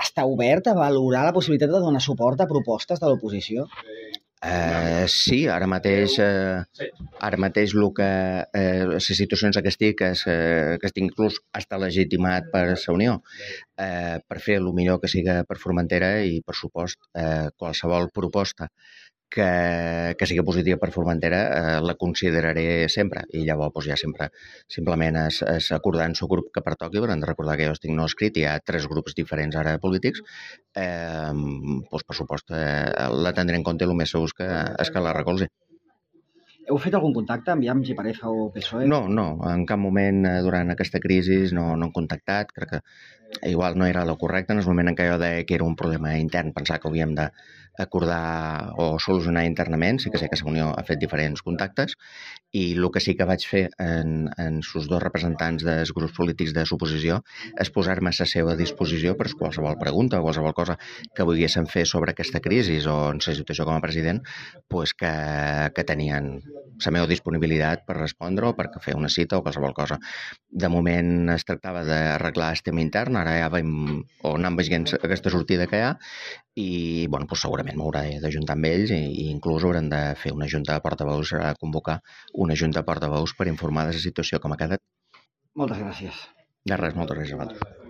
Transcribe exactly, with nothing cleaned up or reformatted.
està obert a valorar la possibilitat de donar suport a propostes de l'oposició? Uh, sí, ara mateix, uh, ara mateix el que, uh, les situacions que estic, és, uh, que estic inclús està legitimat per la Unió, uh, per fer el millor que siga per Formentera i, per supost, uh, qualsevol proposta que, que sigui positiva per Formentera eh, la consideraré sempre, i llavors doncs, ja sempre simplement és, és acordar en el grup que pertoqui, però hem de recordar que jo estic no escrit, hi ha tres grups diferents ara polítics, eh, doncs, per supost eh, la tindré en compte, el més segur que, és que la recolzi. Heu fet algun contacte amb Iams i Pareja o P S O E? No, no, en cap moment durant aquesta crisi no, no hem contactat, crec que igual no era el correcte en el moment en què jo deia que era un problema intern, pensar que havíem d'acordar o solucionar internament. Sí que sé que la Unió ha fet diferents contactes i el que sí que vaig fer en, en els dos representants dels grups polítics de l'oposició és posar-me a la seva disposició per qualsevol pregunta o qualsevol cosa que volguessin fer sobre aquesta crisi o en la situació com a president, pues que, que tenien la meva disponibilitat per respondre o per fer una cita o qualsevol cosa. De moment es tractava d'arreglar el tema intern, ara ja veiem o anem veient aquesta sortida que hi ha i bueno, doncs segurament m'hauré d'ajuntar amb ells i, i inclús haurem de fer una junta de portaveus, a convocar una junta de portaveus per informar de la situació com ha quedat. Moltes gràcies. De res, moltes gràcies a vosaltres.